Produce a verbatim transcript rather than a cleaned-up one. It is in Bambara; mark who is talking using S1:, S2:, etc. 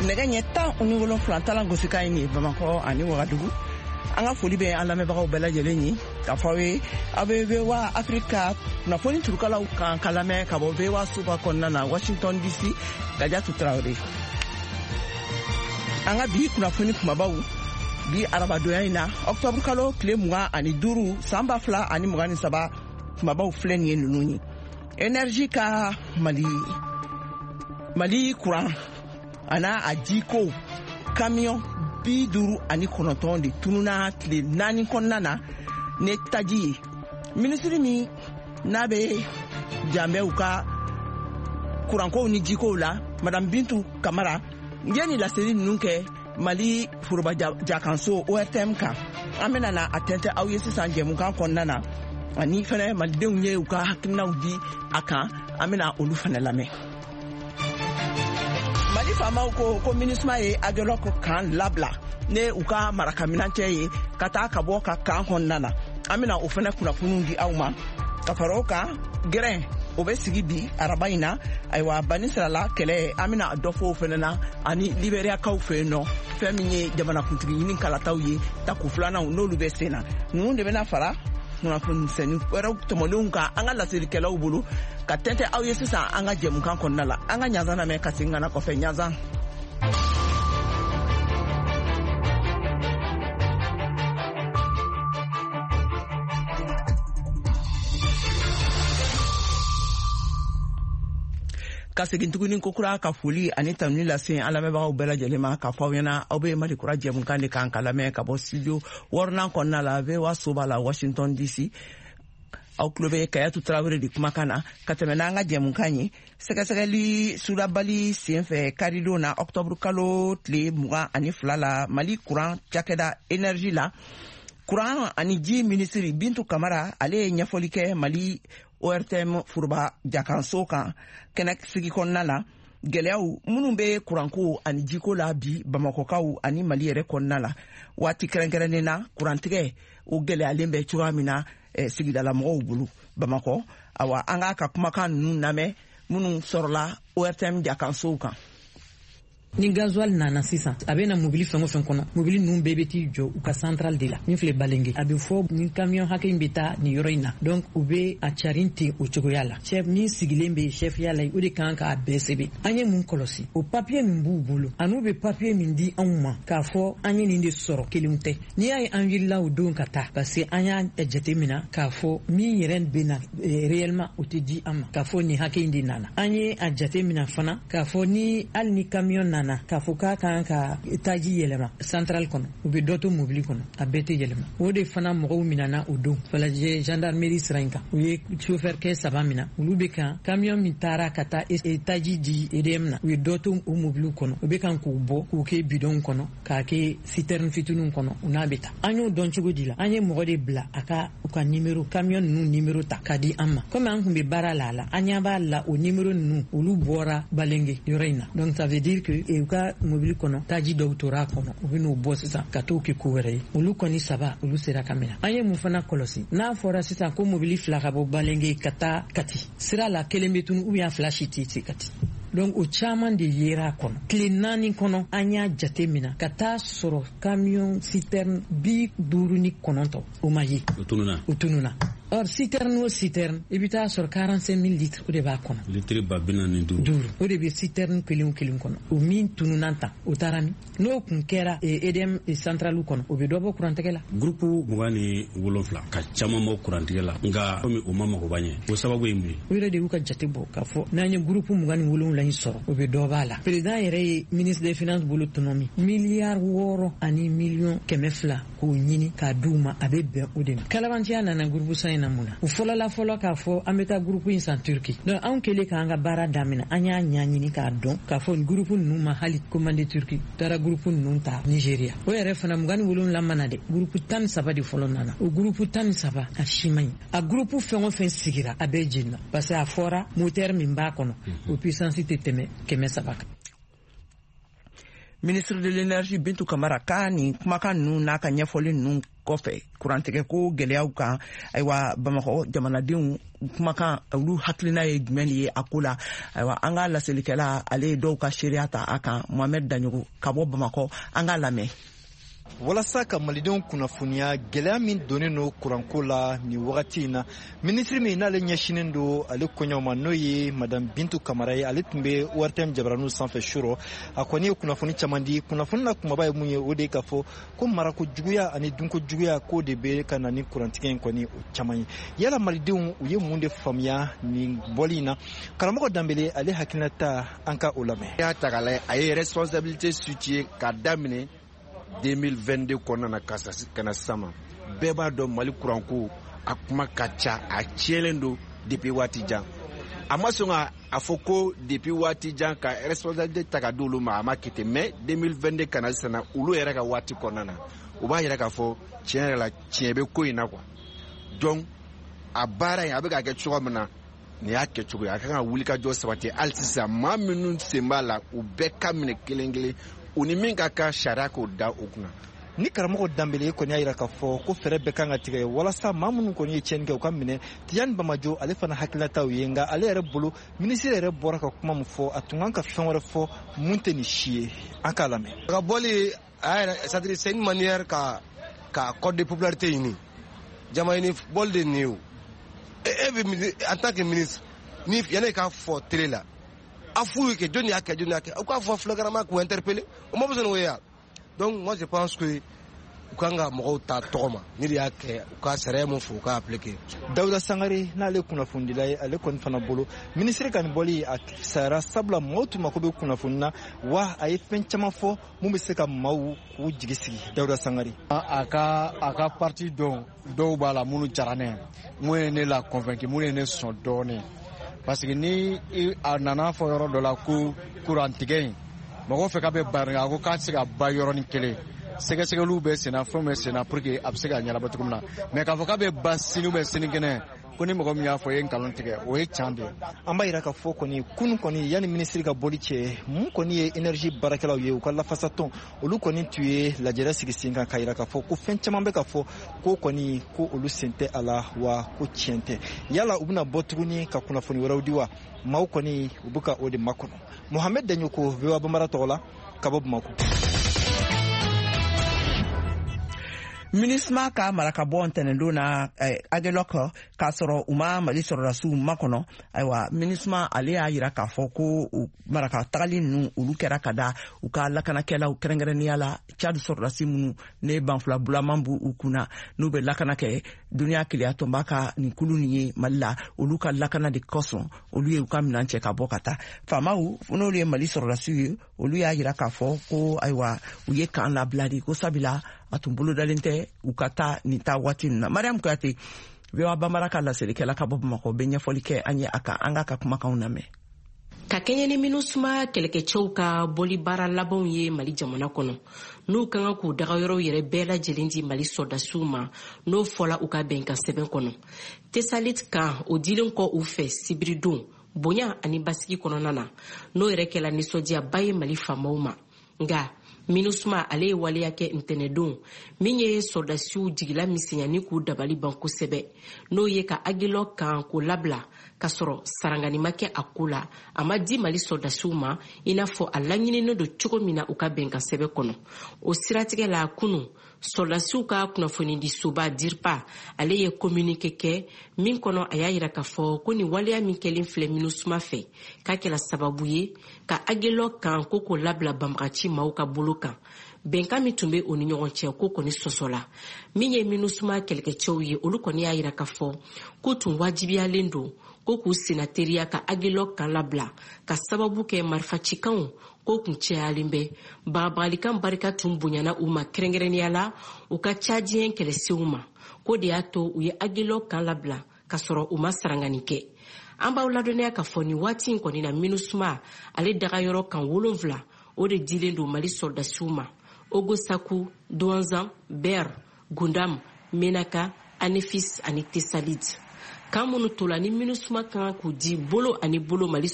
S1: Nɛgɛ ɲɛ tan ni wolonfila talan gosikan ye nin ye Bamakɔ ani Wagadugu. An ka foli bɛ an lamɛnbagaw bɛɛ lajɛlen ye k'a fɔ aw ye aw bɛ V O A Afrika kunnafoni turukalaw kan ka lamɛn ka bɔ V O A soba kɔnɔna na, Washington D C. Kajatu Tarawele. An ka bi kunnafoni kumabaw bi arabadonya in na, ɔkutɔburu kalo tile mugan ani duuru san ba fila ani mugan ni saba, kumabaw filɛ nin ye ninnu ye: énergie ka Mali Mali kuran ana a jiko kamiyɔn bi duuru ani kɔnɔntɔn de tununa tile naani kɔnɔna na ne taji ye. Minisiri min n'a bɛ janbɛ u ka kurankow ni jikow la, Madame Bintu Kamara, n ye nin laseli ninnu kɛ Mali foroba jakanso O R T M kan. An bɛna na a tɛntɛ aw ye sisan jɛmukan kɔnɔna na, ani fɛnɛ malidenw ye u ka hakilinaw di a kan, an bɛna olu fɛnɛ lamɛn. Mali faamaw ko ko MINUSMA ye Aguelhok kan labila ne u ka marakaminancɛ ye ka taa ka bɔ ka kan kɔnɔna na. An bɛna o fɛnɛ kunnafoniw di aw ma. Ka fara o kan, gɛrɛn o bɛ sigi bi araba in na. Ayiwa, banisirala kɛlɛ, an bɛna dɔ fɔ o fɛnɛ na, ani Liberiyakaw fɛ yen nɔ, fɛn min ye jamanakuntigi ɲini kalataw ye tako filanan, n'olu bɛ sen na. Ninnu de bɛna fara kunnafonimisɛnnin wɛrɛw tɔmɔlenw kan an ka laselikɛlaw bolo ka tɛntɛ aw ye sisan an ka jɛmukan kɔnɔna la. An ka ɲanzan lamɛn ka segin ka na kɔfɛ ɲanzan. Ka segin tuguni kokura ka foli ani tanuni lase an lamɛnbagaw bɛɛ lajɛlen ma, k'a fɔ aw ɲɛna aw bɛ Mali Kura jɛmukan de kan ka lamɛn ka bɔ studio wɔɔrɔnan kɔnɔna la, V O A soba la, Washington D C. Aw tulo bɛ Kayatu Tarawele de kumakan na. Ka tɛmɛ n'an ka jɛmukan ye, sɛgɛsɛgɛli sulabali senfɛ karidon na, ɔktɔburu kalo tile mugan ani fila la, Mali kuran cakɛda énergie la, kuran ani ji minisiri Bintu Kamara, ale ye ɲɛfɔli kɛ Mali O R T M foroba jakanso kan kɛnɛ sigi kɔnɔna la, gɛlɛyaw minnu bɛ kuranko ani jiko la bi Bamakɔkaw ani Mali yɛrɛ kɔnɔna la. Waati kɛrɛnkɛrɛnnen na, kurantigɛ o gɛlɛyalen bɛ cogoya min na eh, sigidalamɔgɔw bolo Bamakɔ. Awa, an k'a ka kumakan ninnu lamɛn minnu sɔrɔla O R T M jakansow kan.
S2: Ni gasoil nana sisan, a bɛ na mobili fɛn o fɛn kɔnɔ, mobili ninnu bɛɛ bɛ t'i jɔ u ka centrale de la min filɛ Balenge. A bɛ fɔ ni camion hakɛ in bɛ taa nin yɔrɔ in na, donc u bɛ a carin ten o cogoya la. Chef min sigilen bɛ chefya la, o de kan k'a bɛɛ sɛbɛn. An ye mun kɔlɔsi? O papier min b'u bolo an'u bɛ papier min di anw ma k'a fɔ an ye nin de sɔrɔ, kelenw tɛ. N'i y'a ye an wulila o don ka taa, parce que an y'a jate minɛ k'a fɔ min yɛrɛ bɛ na réellement, o tɛ di an ma k'a fɔ nin hakɛ in de nana. An ye a jate minɛ fana k'a fɔ ni hali ni camion nana k'a fɔ k'a kan ka taji yɛlɛma centrale kɔnɔ, u bɛ dɔ to mobili kɔnɔ, a bɛɛ tɛ yɛlɛma. O de fana mɔgɔw minɛna o don Falajɛ gendarmerie sira in kan. U ye chauffeur kɛ saba minɛ, olu bɛ kan camion min taara ka taa taji di E D M na, u ye dɔ to o mobiliw kɔnɔ, u bɛ kan k'u bɔ k'u kɛ bidon kɔnɔ, k'a kɛ citerne fitininw kɔnɔ, u n'a bɛ taa. An y'o dɔn cogo di la? An ye mɔgɔ de bila a ka u ka numéro, camion ninnu numéro ta ka di an ma. Komi an tun bɛ baara la a la, an ɲɛ b'a la o numéro ninnu, olu bɔra Balenge yɔrɔ in na. Donc ça veut dire que u ka mobili kɔnɔ taji dɔw tora a kɔnɔ, u bɛ n'o bɔ sisan ka t'o kɛ ko wɛrɛ ye. Olu kɔni saba, olu sera ka minɛ. An ye mun fana kɔlɔsi? N'a fɔra sisan ko mobili fila ka bɔ Balenge ka taa Kati, sira la kelen bɛ tunu ou bien fila si tɛ se Kati. Donc o caman de yera a kɔnɔ. Tile naani kɔnɔ, an y'a jate minɛ ka taa sɔrɔ camion citerne bi duuru ni kɔnɔntɔn o ma ye.
S3: O tununa.
S2: O tununa. Or citerne o citerne, i bɛ taa sɔrɔ quarante-cinq mille litres, o de b'a kɔnɔ.
S3: Litiri ba bi naani ni duuru.
S2: Duuru, o de bɛ citerne kelen o kelen kɔnɔ. O min tununa tan, o taara min? N'o kun kɛra E D M centrale kɔnɔ, o bɛ dɔ bɔ kurantigɛ la.
S3: Groupe mugan ni wolonfila ka caman bɔ kurantigɛ la, nka komi o ma magoba ɲɛ, o sababu ye mun ye?
S2: O yɛrɛ de y'u ka jate bɔ k'a fɔ n'an ye groupe mugan ni wolonwula in sɔrɔ, o bɛ dɔ b'a la. Président yɛrɛ ye ministre des Finances bolo tɔnɔ min miliyari wɔɔrɔ ani miliyɔn kɛmɛ fila k'o ɲini k'a d'u ma, a bɛ bɛn o de ma. Kalabantiya nana groupe san in na mun na? U fɔlɔla fɔlɔ k'a fɔ an bɛ taa groupe in san Turki. Donc anw kɛlen k'an ka baara daminɛ, an y'a ɲɛɲini k'a dɔn k'a fɔ groupe ninnu ma hali commandé Turki, taara groupe ninnu ta Nigeria. O yɛrɛ fana mugan ni wolonwula mana dɛ, groupe tan ni saba de fɔlɔ nana. O groupe tan ni saba, a si man ɲi. A groupe fɛn o fɛn sigira, a bɛɛ jenina, parce que a fɔra moteur min b'a kɔnɔ, o puissance tɛ tɛmɛ kɛmɛ saba kan.
S1: Ministre de l'Énergie Bintu Kamara ka nin kumakan ninnu n'a ka ɲɛfɔli ninnu. kɔfɛ kurantigɛ ko gɛlɛyaw kan, ayiwa Bamakɔ jamanadenw kumakan, olu hakilina ye jumɛn de ye a ko la? Ayiwa, an ka laselikɛla, ale ye dɔw ka seereya ta a kan, Mohamed Daɲogo ka bɔ Bamakɔ, an k'a lamɛn.
S4: Walasa ka malidenw kunnafoniya gɛlɛya min donnen no kuranko la nin wagati in na, minisiri min n'ale ɲɛsinen don ale koɲɛw ma, n'o ye Madame Bintu Kamara ye, ale tun bɛ O R T M jabaraniw sanfɛ su rɔ. A kɔni ye kunnafoni caman di. Kunnafoni na kumaba ye mun ye? O de ye k'a fɔ ko marako juguya ani dunko juguya, k'o de bɛ ka na ni kurantigɛ in kɔni o caman ye. Yala malidenw, u ye mun de faamuya nin bɔli in na? Karamɔgɔ Danbele, ale hakilinata, an ka o lamɛn.
S5: Y'a ta k'a lajɛ, a ye responsabilité située k'a daminɛ deux mille vingt-deux kɔnɔna na ka na sisan ma. Bɛɛ b'a dɔn, Mali kuranko a kuma ka ca, a tiɲɛlen don depuis waati jan. A ma sɔn ka a fɔ ko depuis waati jan ka responsabilité ta ka di olu ma, a ma kɛ ten. Mais deux mille vingt-deux ka na sisan na, olu yɛrɛ ka waati kɔnɔna na, u b'a yɛrɛ k'a fɔ tiɲɛ yɛrɛ la, tiɲɛ bɛ ko in na quoi. Donc a baara in a bɛ ka kɛ cogo min na, nin y'a kɛcogo ye. A kan ka wulikajɔ sabati hali sisan. Maa minnu sen b'a la, u bɛɛ ka minɛ kelen kelen, u ni min ka kan, sariya k'o da u kunna.
S4: Ni karamɔgɔ Danbele kɔni y'a yira k'a fɔ ko fɛɛrɛ bɛɛ kan ka tigɛ walasa maa minnu kɔni ye tiɲɛni kɛ, u ka minɛ. Tijani Bamajo, ale fana hakilinataw ye, nka ale yɛrɛ bolo, minisiri yɛrɛ bɔra ka kuma min fɔ, a tun kan ka fɛn wɛrɛ fɔ mun tɛ nin si ye. An k'a lamɛn.
S6: A ka bɔli a yɛrɛ, c'est à dire c'est une manière ka ka code de popularité ɲini, jama ɲini bɔli de nin ye. O e bɛ, en tant que ministre, ni yanni k'a fɔ télé la, a f'u ye kɛ jɔnni y'a kɛ, jɔnni y'a kɛ, u k'a fɔ flagramment k'u interpeller, o ma besoin n'o ye ya. Donc moi je pense que u kan ka mɔgɔw ta tɔgɔ ma, ni de y'a kɛ, u ka sariya mun fɔ, u k'a appliquer.
S4: Dawuda Sangare, n'ale kunnafonidila ye, ale kɔni fana bolo, minisiri ka nin bɔli a sayara, sabula maaw tun mako bɛ kunnafoni na, wa a ye fɛn caman fɔ mun bɛ se ka maaw k'u jigi sigi. Dawuda Sangare.
S7: A ka a ka parti dɔw dɔw b'a la minnu diyara ne ye, mun ye ne la convaincu, mun ye ne sɔn dɔɔnin, parce que ni a nana fɔ yɔrɔ dɔ la ko kurantigɛ in, mɔgɔw fɛ k'a bɛ ban, a ko k'a tɛ se ka ban yɔrɔnin kelen, sɛgɛsɛgɛliw bɛ senna, fɛnw bɛ senna pour que a bɛ se ka ɲɛnabɔ cogo min na. Mais k'a fɔ k'a bɛ ban sini ou bien sinikɛnɛ, ko ni mɔgɔ min y'a fɔ, i ye nkalon tigɛ, o ye can de ye.
S4: An b'a yira k'a fɔ kɔni, kunun kɔni, yanni minisiri ka bɔli cɛ, mun kɔni ye énergie baarakɛlaw ye, u ka lafasatɔn, olu kɔni tun ye lajɛrɛ sigi sen kan k'a yira k'a fɔ ko fɛn caman bɛ ka fɔ ko kɔni ko olu sen tɛ a la, wa ko tiɲɛ tɛ. Yala u bɛna bɔ tuguni ka kunnafoni wɛrɛw di wa? Maaw kɔni, u bɛ ka o de makɔnɔ. Mohamed Daɲoko, V O A Bambara tɔgɔ la, ka bɔ Bamakɔ.
S1: MINUSMA ka marakabɔ ntɛnɛndon na eh, Agelok, k'a sɔrɔ u ma Mali sɔrɔdasiw makɔnɔ. Ayiwa, MINUSMA ale y'a yira k'a fɔ ko maraka tagali ninnu, olu kɛra ka da u ka lakanakɛlaw, kɛrɛnkɛrɛnnenya la Chad sɔrɔdasi minnu ne banfula bulaman b'u u kunna, n'u bɛ lakana kɛ duniya keleya tɔnba ka nin kulu nin ye Mali la, olu ka lakana de kosɔn olu ye u ka minan cɛ ka bɔ ka taa. Faamaw, n'olu ye Mali sɔrɔdasiw ye, olu y'a yira k'a fɔ ko ayiwa, u ye kan labila de, ko sabula a tun bolodalen tɛ u ka taa nin taa waati nin na. Mariam Kuyate, V O A Bambara ka laselikɛla ka bɔ Bamakɔ, bɛ ɲɛfɔli kɛ an ye a kan. An k'a ka kumakanw lamɛn.
S8: Ka kɛɲɛ ni MINUSMA kɛlɛkɛcɛw ka bɔli baara labanw ye Mali jamana kɔnɔ, n'u ka kan k'u dagayɔrɔw yɛrɛ bɛɛ lajɛlen di Mali sɔrɔdasiw ma, n'o fɔla u ka bɛnkan sɛbɛn kɔnɔ, Tesalit kan, o dilen kɔ u fɛ sibiridon bonya ani basigi kɔnɔna na, n'o yɛrɛ kɛla nisɔndiyaba ye Mali faamaw ma. Nga MINUSMA ale ye waleya kɛ ntɛnɛdon min ye sɔrɔdasiw jigila misɛnyani k'u dabali ban kosɛbɛ, n'o ye ka Agelɔ kan k'o labila k'a sɔrɔ sarangani ma kɛ a ko la, a ma di Mali sɔrɔdasiw ma i n'a fɔ a laɲininen don cogo min na u ka bɛnkan sɛbɛn kɔnɔ. O siratigɛ la, kunu sɔrɔdasiw ka kunnafonidisoba DIRPA ale ye communiqué kɛ min kɔnɔ, a y'a yira k'a fɔ ko nin waleya min kɛlen filɛ MINUSMA fɛ, k'a kɛla sababu ye ka Agelɔ kan ko k'o labila banbagaci maaw ka bolo kan, bɛnkan min tun bɛ o ni ɲɔgɔn cɛ, ko kɔni sɔsɔla. Min ye MINUSMA kɛlɛkɛcɛw ye, olu kɔni y'a yira k'a fɔ k'u tun wajibiyalen don ko k'u senna teriya ka Agelɔ kan labila, ka sababu kɛ marifacikanw ko kun cayalen bɛ, bagabagalikan barika tun bonyana u ma, kɛrɛnkɛrɛnnenya la u ka Tchadien kɛlɛsenw ma, k'o de y'a to u ye Agelɔ kan labila k'a sɔrɔ u ma sarangani kɛ. An b'aw ladɔnniya k'a fɔ nin waati in kɔni na, MINUSMA ale dagayɔrɔ kan wolonfila, o de dilen don Mali sɔrɔdasiw ma: Ogosaku, Douentza, Ber, Gundam, Menaka, Anefis ani Tesalit. Kan minnu tola ni MINUSMA kan k'u di bolo ani bolo Mali